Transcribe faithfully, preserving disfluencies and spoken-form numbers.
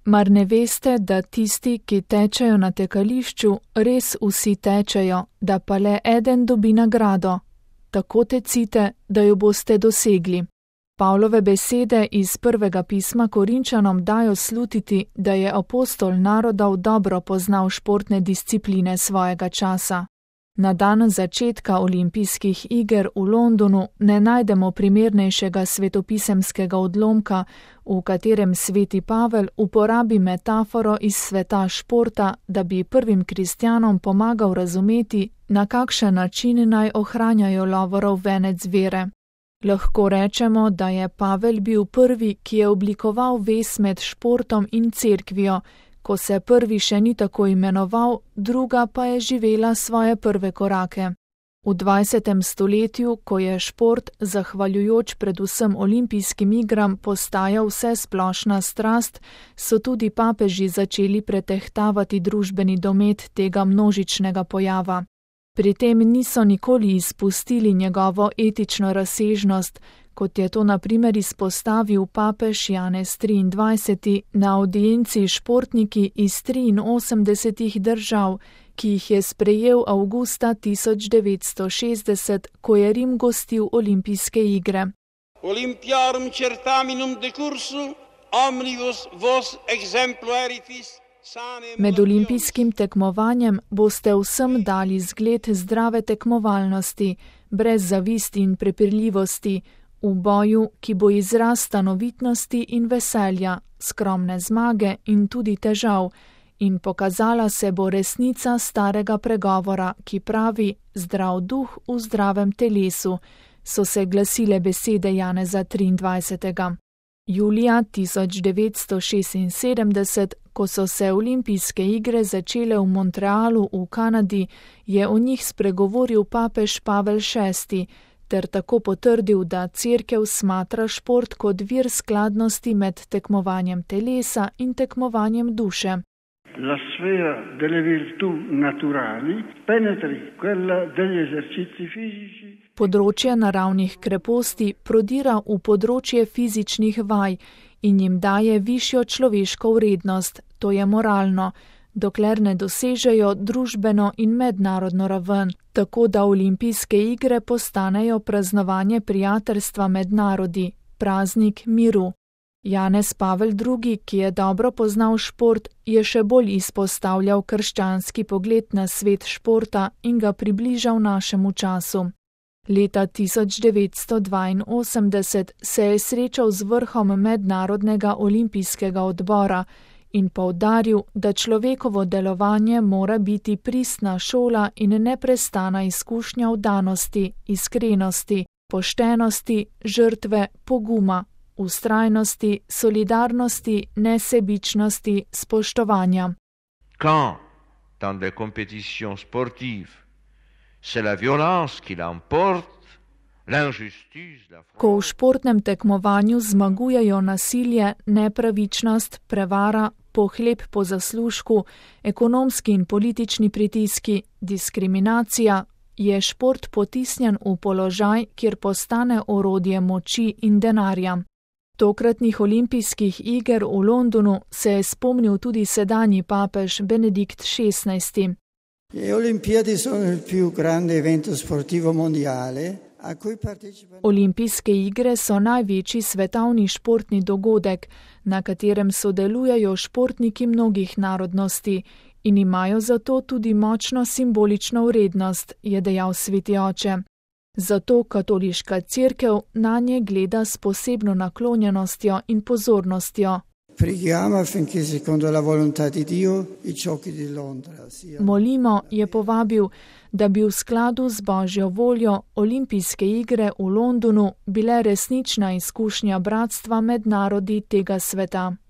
Mar ne veste, da tisti, ki tečejo na tekališču, res vsi tečejo, da pa le eden dobi nagrado? Tako tecite, da jo boste dosegli. Pavlove besede iz prvega pisma Korinčanom dajo slutiti, da je apostol narodov dobro poznal športne discipline svojega časa. Na dan začetka olimpijskih iger v Londonu ne najdemo primernejšega svetopisemskega odlomka, v katerem sveti Pavel uporabi metaforo iz sveta športa, da bi prvim kristjanom pomagal razumeti, na kakšen način naj ohranjajo lovorov venec vere. Lahko rečemo, da je Pavel bil prvi, ki je oblikoval vez med športom in cerkvijo, ko se prvi še ni tako imenoval, druga pa je živela svoje prve korake. V dvajsetem stoletju, ko je šport, zahvaljujoč predvsem olimpijskim igram, postajal vse splošna strast, so tudi papeži začeli pretehtavati družbeni domet tega množičnega pojava. Pri tem niso nikoli izpustili njegovo etično razsežnost, kot je to na primer izpostavil papež Janez triindvajseti na audienci športniki iz triinosemdesetih držav, ki jih je sprejel avgusta tisoč devetsto šestdeset, ko je Rim gostil olimpijske igre. Olympiarum certaminum decursu, omnibus vos exemplaritis. Med olimpijskim tekmovanjem boste vsem dali zgled zdrave tekmovalnosti, brez zavisti in prepirljivosti, v boju, ki bo izraz stanovitnosti in veselja, skromne zmage in tudi težav, in pokazala se bo resnica starega pregovora, ki pravi zdrav duh v zdravem telesu, so se glasile besede Janeza triindvajsetega. Julija tisoč devetsto šestinsedemdeset, ko so se olimpijske igre začele v Montrealu v Kanadi, je o njih spregovoril papež Pavel šesti, ter tako potrdil, da cerkev smatra šport kot vir skladnosti med tekmovanjem telesa in tekmovanjem duše. La sfera delle virtù naturali penetri quella degli esercizi fisici. Področje naravnih kreposti prodira v področje fizičnih vaj in jim daje višjo človeško vrednost, to je moralno, dokler ne dosežejo družbeno in mednarodno raven, tako da olimpijske igre postanejo praznovanje prijateljstva med narodi, praznik miru. Janez Pavel drugi, ki je dobro poznal šport, je še bolj izpostavljal krščanski pogled na svet športa in ga približal našemu času. Leta tisoč devetsto dvainosemdeset se je srečal z vrhom Mednarodnega olimpijskega odbora in poudaril, da človekovo delovanje mora biti pristna šola in neprestana izkušnja vdanosti, iskrenosti, poštenosti, žrtve, poguma, vztrajnosti, solidarnosti, nesebičnosti, spoštovanja. Quand, dans des compétitions sportives, c'est la violence qui l'emporte, l'injustice, la fraude. Ko v športnem tekmovanju zmagujejo nasilje, nepravičnost, prevara, pohleb po zaslužku, ekonomski in politični pritiski, diskriminacija, je šport potisnjen v položaj, kjer postane orodje moči in denarja. Tokratnih olimpijskih iger v Londonu se je spomnil tudi sedanji papež Benedikt šestnajsti. Le Olimpiadi sono il più grande evento sportivo mondiale a cui partecipano. Olimpijske igre so največji svetovni športni dogodek, na katerem sodelujejo športniki mnogih narodnosti in imajo zato tudi močno simbolično vrednost, je dejal sveti oče. Zato katoliška cerkev nanje gleda s posebno naklonjenostjo in pozornostjo. Preghiamo affinché secondo la volontà di Dio i giochi di Londra siano. Molimo, je povabil, da bi v skladu z Božjo voljo olimpijske igre v Londonu bile resnična izkušnja bratstva med narodi tega sveta.